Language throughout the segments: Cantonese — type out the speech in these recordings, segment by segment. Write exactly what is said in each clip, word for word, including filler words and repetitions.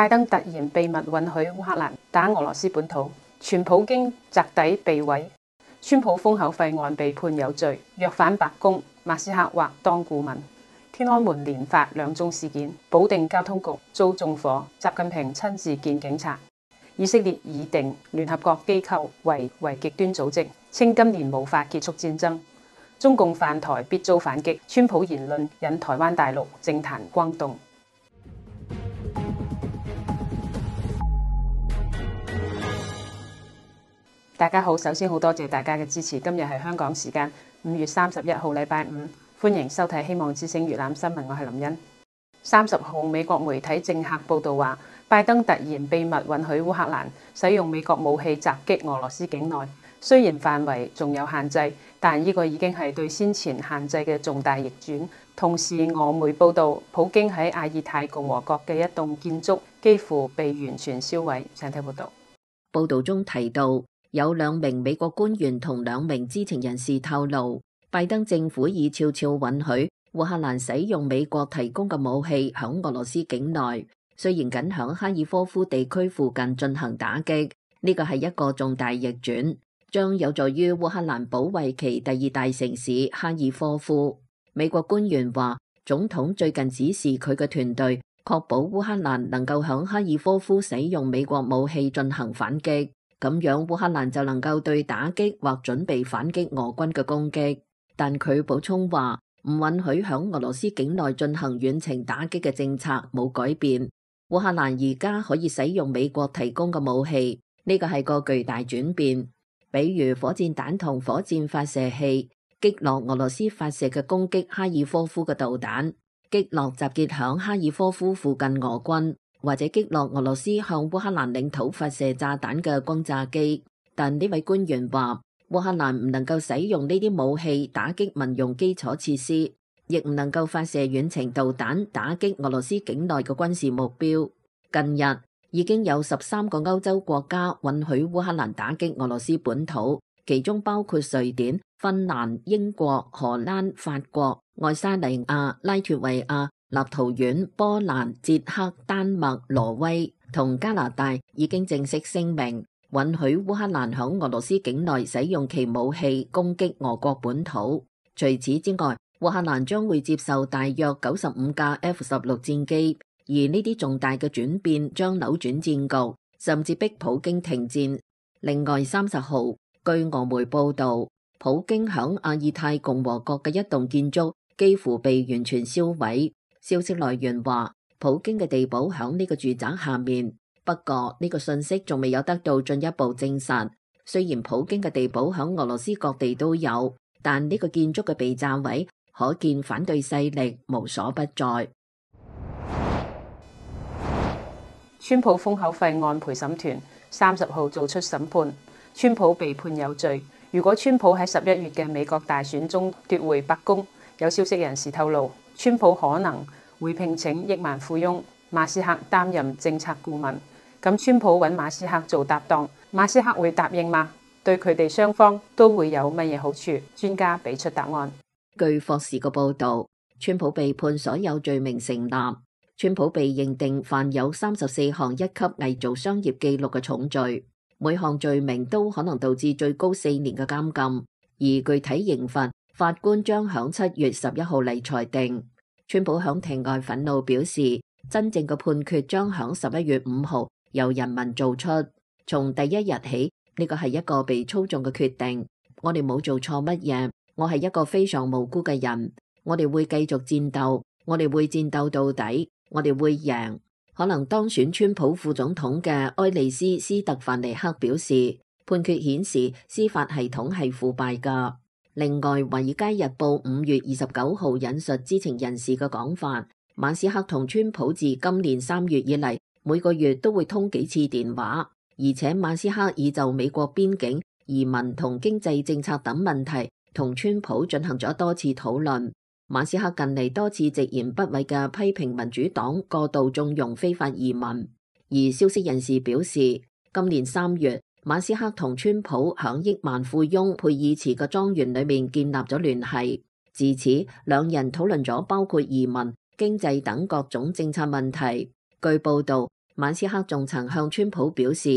拜登突然秘密允許烏克蘭打俄羅斯本土，傳普京擲底被毀。川普封口費案被判有罪，若返白宮，馬斯克或當顧問。天安門連發兩宗事件，保定交通局遭縱火，習近平親自見警察。以色列擬定聯合國機構為為極端組織，稱今年無法結束戰爭。中共犯台必遭反擊，川普言論引台灣大陸政壇轟動。大家好，首先好多謝大家嘅支持。今日係香港時間五月三十一號，禮拜五，歡迎收睇《希望之聲》粵覽新聞，我係林茵。三十號，美國媒體政客報道話，拜登突然秘密允許烏克蘭使用美國武器襲擊俄羅斯境內，雖然範圍仲有限制，但呢個已經係對先前限制嘅重大逆轉。同時，俄媒報道，普京喺阿爾泰共和國嘅一棟建築幾乎被完全燒毀。請睇報道。報道中提到，有兩名美國官員同兩名知情人士透露，拜登政府已悄悄允許烏克蘭使用美國提供嘅武器響俄羅斯境內，雖然僅響哈爾科夫地區附近進行打擊，呢個係一個重大逆轉，將有助於烏克蘭保衛其第二大城市哈爾科夫。美國官員話，總統最近指示佢嘅團隊確保烏克蘭能夠響哈爾科夫使用美國武器進行反擊。咁樣烏克蘭就能夠對打擊或準備反擊俄軍嘅攻擊，但佢補充話唔允許響俄羅斯境內進行遠程打擊嘅政策冇改變。烏克蘭而家可以使用美國提供嘅武器，呢個係個巨大轉變，比如火箭彈同火箭發射器，擊落俄羅斯發射嘅攻擊哈爾科夫嘅導彈，擊落集結響哈爾科夫附近俄軍，或者擊落俄羅斯向烏克蘭領土發射炸彈嘅轟炸機。但呢位官員話，烏克蘭唔能夠使用呢啲武器打擊民用基礎設施，亦唔能夠發射遠程導彈打擊俄羅斯境內嘅軍事目標。近日已經有十三個歐洲國家允許烏克蘭打擊俄羅斯本土，其中包括瑞典、芬蘭、英國、荷蘭、法國、愛沙尼亞、拉脫維亞、立陶宛、波蘭、捷克、丹麥、挪威同加拿大已經正式聲明允許烏克蘭響俄羅斯境內使用其武器攻擊俄國本土。除此之外，烏克蘭將會接受大約九十五架 F 十六戰機，而呢啲重大嘅轉變將扭轉戰局，甚至逼普京停戰。另外，三十號，據俄媒報道，普京響阿爾泰共和國嘅一棟建築幾乎被完全燒毀。消息來源話，普京嘅地堡響呢個住宅下面，不過呢個信息仲未有得到進一步證實。雖然普京嘅地堡響俄羅斯各地都有，但呢個建築嘅被炸毀，可見反對勢力無所不在。川普封口費案陪審團三十號做出審判，川普被判有罪。如果川普喺十一月嘅美國大選中奪回白宮，有消息人士透露，川普可能會聘請億萬富翁馬斯克擔任政策顧問。咁川普揾馬斯克做搭檔，馬斯克會答應嗎？對佢哋雙方都會有乜嘢好處？專家俾出答案。據霍士嘅報導，川普被判所有罪名成立。川普被認定犯有三十四項一級偽造商業記錄嘅重罪，每項罪名都可能導致最高四年嘅監禁，而具體刑罰法官將響七月十一號嚟裁定。川普響庭外憤怒表示，真正嘅判決將響十一月五號由人民做出。從第一日起，呢個係一個被操縱嘅決定。我哋冇做錯乜嘢，我係一個非常無辜嘅人。我哋會繼續戰鬥，我哋會戰鬥到底，我哋會贏。可能當選川普副總統嘅埃利斯·斯特凡尼克表示，判決顯示司法系統係腐敗㗎。另外，《華爾街日報》五月二十九號引述知情人士嘅講法，馬斯克同川普自今年三月以嚟，每個月都會通幾次電話，而且馬斯克已就美國邊境、移民同經濟政策等問題同川普進行咗多次討論。馬斯克近嚟多次直言不諱嘅批評民主黨過度縱容非法移民，而消息人士表示，今年三月，馬斯克同川普響億萬富翁佩爾茨嘅莊園裏面建立咗聯繫，自此兩人討論咗包括移民、經濟等各種政策問題。據報道，馬斯克仲曾向川普表示，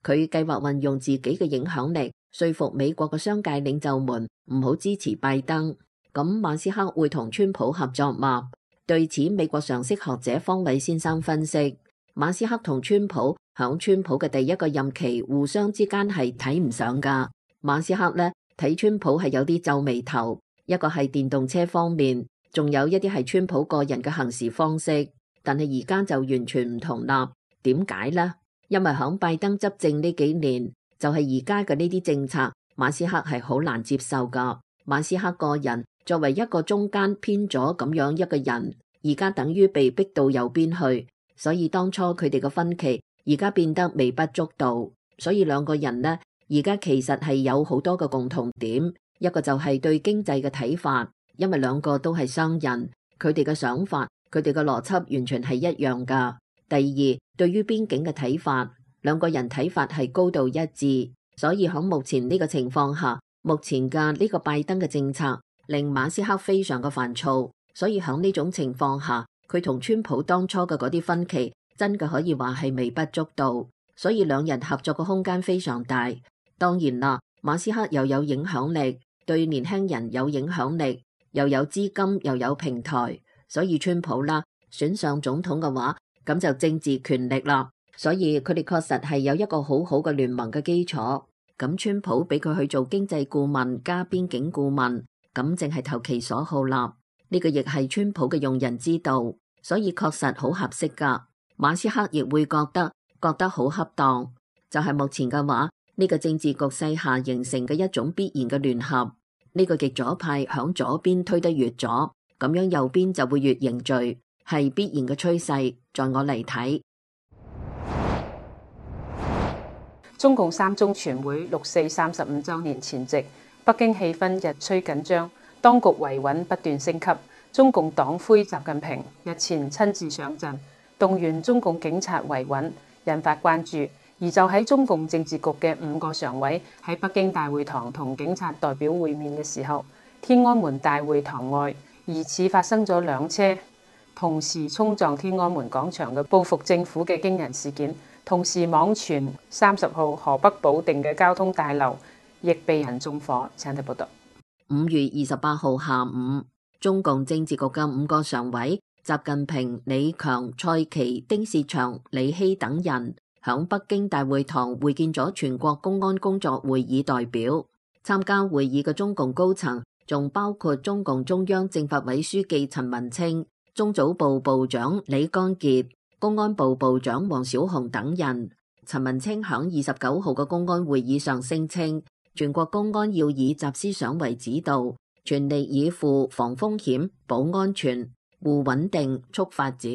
佢計劃運用自己嘅影響力，說服美國嘅商界領袖們唔好支持拜登。咁馬斯克會同川普合作嗎？對此，美國常識學者方偉先生分析，馬斯克同川普響川普嘅第一個任期互相之間係睇唔上噶。馬斯克呢，睇川普係有啲皺眉頭，一個係電動車方面，仲有一啲係川普個人嘅行事方式。但係而家就完全唔同啦。點解呢？因為響拜登執政呢幾年，就係而家嘅呢啲政策，馬斯克係好難接受噶。馬斯克個人作為一個中間偏左咁樣一個人，而家等於被逼到右邊去，所以當初佢哋嘅分歧而家變得微不足道。所以兩個人呢，而家其實係有好多個共同點，一個就係對經濟嘅睇法，因為兩個都係商人，佢哋嘅想法，佢哋嘅邏輯完全係一樣噶。第二，對於邊境嘅睇法，兩個人睇法係高度一致，所以喺目前呢個情況下，目前嘅呢個拜登嘅政策令馬斯克非常嘅煩躁，所以喺呢種情況下，佢同川普當初嘅嗰啲分歧真嘅可以話係微不足道，所以兩人合作嘅空間非常大。當然啦，馬斯克又有影響力，對年輕人有影響力，又有資金又有平台，所以川普啦選上總統嘅話，咁就政治權力啦，所以佢哋確實係有一個好好嘅聯盟嘅基礎。咁川普俾佢去做經濟顧問加邊境顧問，咁淨係投其所好啦。呢個亦係川普嘅用人之道，所以確實好合適噶。馬斯克亦會覺得覺得好恰當，就係目前嘅話，呢個政治局勢下形成嘅一種必然嘅聯合。呢個極左派響左邊推得越左，咁樣右邊就會越凝聚，係必然嘅趨勢。在我嚟睇，中共三中全會六四三十五週年前夕，北京氣氛日趨緊張，當局維穩不斷升級。中共黨魁習近平日前親自上陣，動員中共警察維穩，引發關注。而就喺中共政治局嘅五個常委喺北京大會堂同警察代表會面嘅時候，天安門大會堂外疑似發生咗兩車同時衝撞天安門廣場嘅報復政府嘅驚人事件，同時網傳三十號河北保定嘅交通大樓亦被人縱火。請睇報道。五月二十八號下午，中共政治局嘅五個常委習近平、李強、蔡奇、丁薛祥、李希等人響北京大會堂會見咗全國公安工作會議代表。參加會議嘅中共高層仲包括中共中央政法委書記陳文清、中組部部長李剛傑、公安部部長王小洪等人。陳文清響二十九號嘅公安會議上聲稱，全國公安要以習思想為指導，全力以赴防風險、保安全、護穩定、促發展。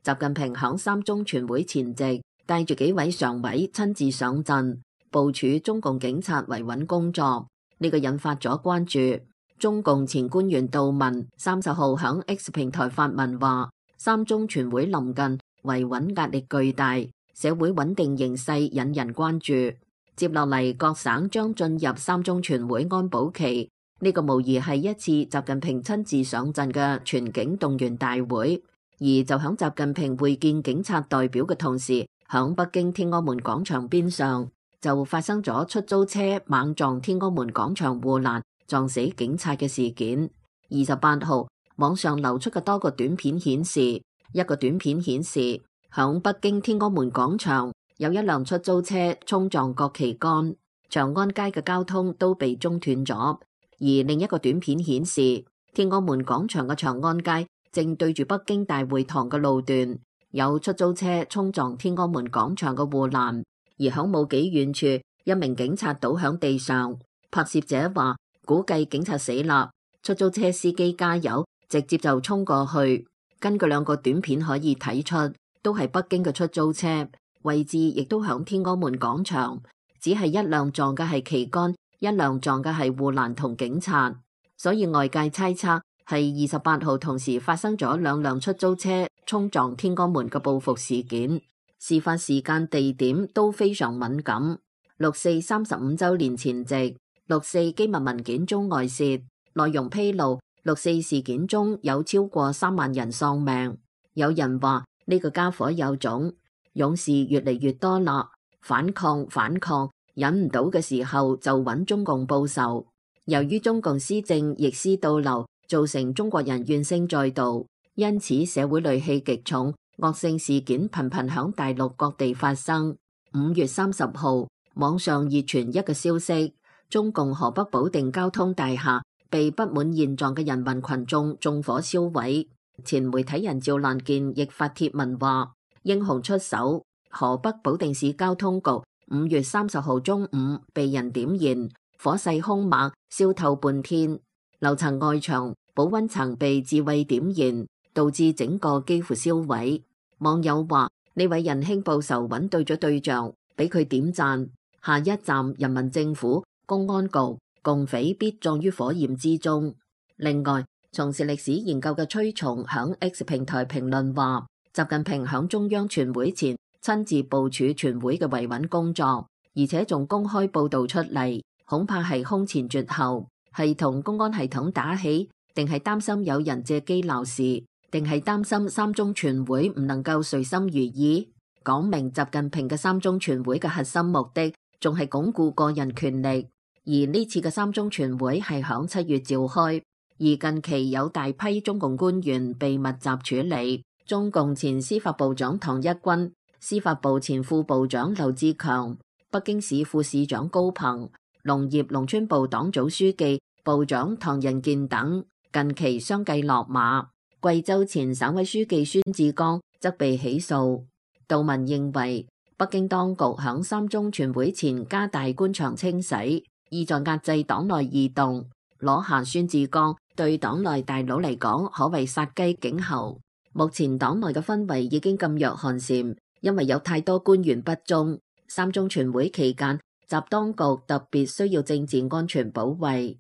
習近平響三中全會前夕帶住幾位常委親自上陣，部署中共警察維穩工作，呢、這個引發咗關注。中共前官員杜文三十號響 X 平台發文話，三中全會臨近，維穩壓力巨大，社會穩定形勢引人關注。接落嚟，各省將進入三中全會安保期，呢、這個無疑係一次習近平親自上陣嘅全警動員大會。而就響習近平會見警察代表嘅同時，響北京天安門廣場邊上就發生咗出租車猛撞天安門廣場護欄，撞死警察嘅事件。二十八號網上流出嘅多個短片顯示，一個短片顯示響北京天安門廣場有一輛出租車衝撞國旗杆，長安街嘅交通都被中斷咗。而另一個短片顯示，天安門廣場嘅長安街正對住北京大會堂嘅路段，有出租車衝撞天安門廣場嘅護欄，而響冇幾遠處，一名警察倒響地上。拍攝者話，估計警察死啦，出租車司機加油，直接就衝過去。根據兩個短片可以睇出，都係北京嘅出租車，位置亦都響天安門廣場，只係一輛撞嘅係旗杆，一輛撞嘅係護欄同警察，所以外界猜測係二十八號同時發生咗兩輛出租車衝撞天安門嘅報復事件。事發時間地點都非常敏感。六四三十五週年前夕，六四機密文件中外泄，內容披露六四事件中有超過三萬人喪命。有人話呢個家伙有種，勇士越嚟越多啦，反抗反抗，忍唔到嘅時候就揾中共報仇。由於中共施政逆施倒流，造成中國人怨聲載道，因此社會戾氣極重，惡性事件頻頻響大陸各地發生。五月三十號，網上熱傳一個消息，中共河北保定交通大廈被不滿現狀嘅人民群眾縱火燒毀。前媒體人趙蘭健亦發帖文話：英雄出手，河北保定市交通局五月三十號中午被人點燃，火勢兇猛，燒透半天，樓層外牆、保溫層被自衛點燃，導致整個幾乎燒毀。網友話：呢位仁兄報仇揾對咗對象，俾佢點讚。下一站人民政府、公安局，共匪必葬於火焰之中。另外，從事歷史研究嘅崔松響 X 平台評論話：習近平響中央全會前親自部署全會嘅維穩工作，而且仲公開報道出嚟，恐怕係空前絕後，係同公安系統打起，定係擔心有人借機鬧事，定係擔心三中全會唔能夠隨心如意？講明習近平嘅三中全會嘅核心目的，仲係鞏固個人權力。而呢次嘅三中全會係響七月召開，而近期有大批中共官員被密集處理，中共前司法部長唐一軍、司法部前副部長劉志強、北京市副市長高鵬、農業農村部黨組書記、部長唐仁健等近期相繼落馬。貴州前省委書記孫志剛則被起訴。杜文認為，北京當局響三中全會前加大官場清洗，意在壓制黨內異動，攞下孫志剛對黨內大佬嚟講可謂殺雞儆猴。目前黨內嘅氛圍已經噤若寒蟬，因為有太多官員不忠。三中全會期間，習當局特別需要政治安全保衛。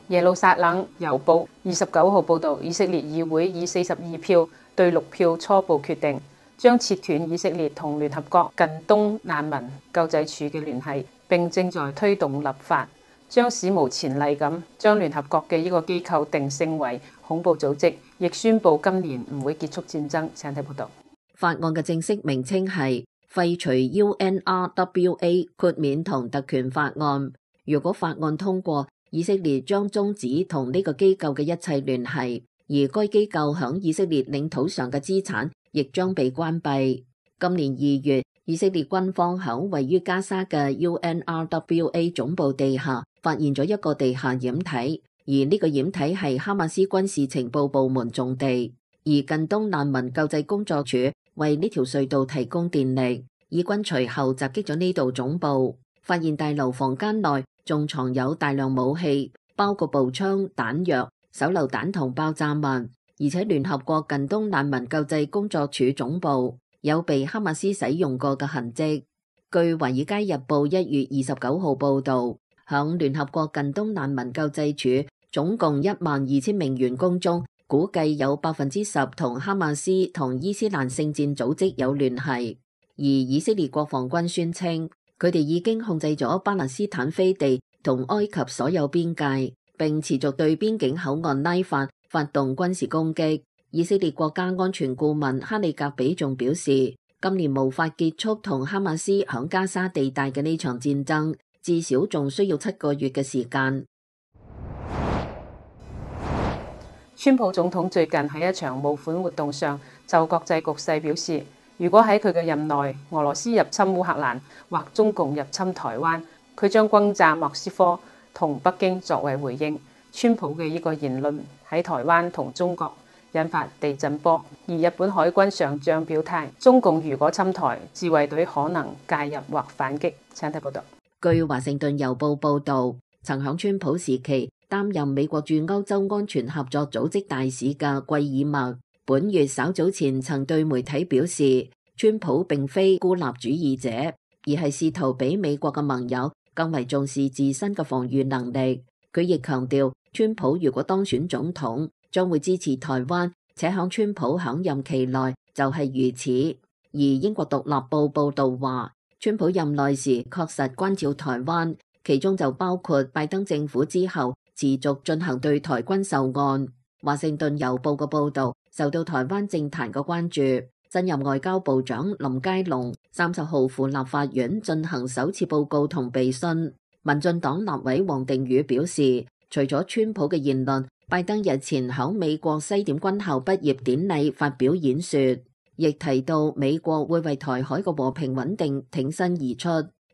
耶路撒冷郵報二十九號報導，以色列議會以四十二票對六票初步決定，將切斷以色列同聯合國近東難民救濟處嘅聯繫，並正在推動立法，將史無前例咁將聯合國嘅呢個機構定性為恐怖組織，亦宣布今年唔會結束戰爭。請睇報導。法案嘅正式名稱係廢除 U N R W A 豁免同特權法案。如果法案通過，以色列將終止同呢個機構嘅一切聯繫，而該機構響以色列領土上嘅資產亦將被關閉。今年二月，以色列軍方響位於加沙嘅 U N R W A 總部地下發現咗一個地下掩體，而呢個掩體係哈馬斯軍事情報部門種地，而近東難民救濟工作處為呢條隧道提供電力。以軍隨後襲擊咗呢度總部，發現大樓房間內仲藏有大量武器，包括步槍、彈藥、手榴彈同爆炸物，而且聯合國近東難民救濟工作處總部有被哈馬斯使用過嘅痕跡。據華爾街日報一月二十九號報道，響聯合國近東難民救濟處總共一萬二千名員工中，估計有百分之十同哈馬斯同伊斯蘭聖戰組織有聯繫。而以色列國防軍宣稱，佢哋已經控制咗巴勒斯坦飛地同埃及所有邊界，並持續對邊境口岸拉法發動軍事攻擊。以色列國家安全顧問哈利格比仲表示，今年無法結束同哈馬斯響加沙地帶嘅呢場戰爭，至少仲需要七個月嘅時間。川普總統最近喺一場募款活動上就國際局勢表示，如果喺佢嘅任內，俄羅斯入侵烏克蘭或中共入侵台灣，佢將轟炸莫斯科同北京作為回應。川普嘅呢個言論喺台灣同中國引發地震波，而日本海軍上將表態，中共如果侵台，自衛隊可能介入或反擊。請睇報道。據華盛頓郵報報導，曾響川普時期擔任美國駐歐洲安全合作組織大使嘅貴爾默，本月稍早前曾對媒體表示，川普並非孤立主義者，而係試圖比美國嘅盟友更為重視自身嘅防禦能力。佢亦強調，川普如果當選總統，將會支持台灣，且響川普響任期內就係如此。而英國獨立報報道話，川普任內時確實關照台灣，其中就包括拜登政府之後持續進行對台軍售案。華盛頓郵報嘅報道受到台灣政壇嘅關注。新任外交部長林佳龍三十號赴立法院進行首次報告同備詢。民進黨立委王定宇表示，除咗川普嘅言論，拜登日前響美國西點軍校畢業典禮發表演說，亦提到美國會為台海嘅和平穩定挺身而出，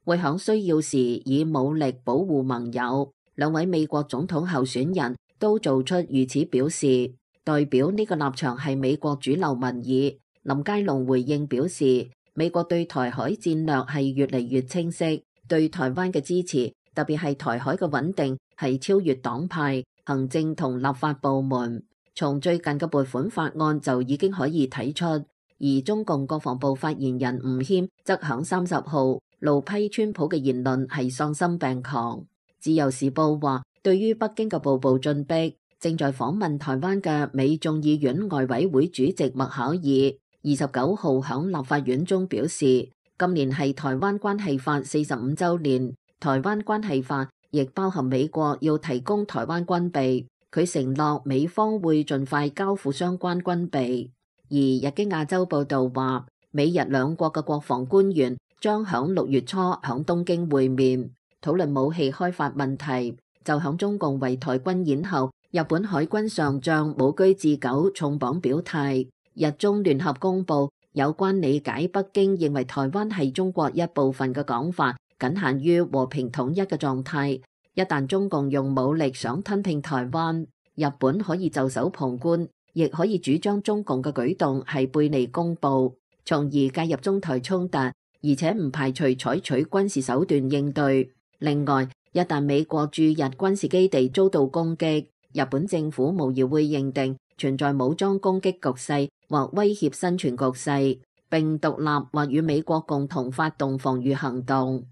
會響需要時以武力保護盟友。兩位美國總統候選人都做出如此表示，代表呢個立場係美國主流民意。林佳龍回應表示，美國對台海戰略係越嚟越清晰，對台灣嘅支持，特別係台海嘅穩定，係超越黨派、行政同立法部門。從最近嘅撥款法案就已經可以睇出。而中共國防部發言人吳謙則響三十號怒批川普嘅言論係喪心病狂。自由時報話，對於北京嘅步步進逼，正在訪問台灣嘅美眾議院外委會主席麥考爾二十九號響立法院中表示，今年係台灣關係法四十五週年，台灣關係法亦包含美國要提供台灣軍備，佢承諾美方會盡快交付相關軍備。而日經亞洲報導話，美日兩國嘅國防官員將響六月初響東京會面，討論武器開發問題。就響中共圍台軍演後，日本海軍上將武居志久重磅表態。日中聯合公佈有關理解北京認為台灣係中國一部分嘅講法，僅限於和平統一嘅狀態。一旦中共用武力想吞併台灣，日本可以袖手旁觀，亦可以主張中共嘅舉動係背離公報，從而介入中台衝突，而且唔排除採取軍事手段應對。另外，一旦美國駐日軍事基地遭到攻擊，日本政府無疑會認定存在武裝攻擊局勢或威脅生存局勢，並獨立或與美國共同發動防禦行動。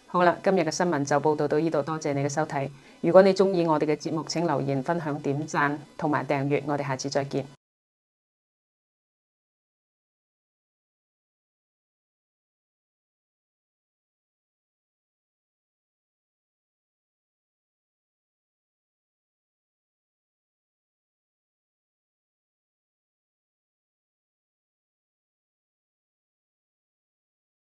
好啦，今日嘅新聞就報道到呢度，多謝你嘅收睇。如果你鍾意我哋嘅節目，請留言、分享、點讚同埋訂閱，我哋下次再見。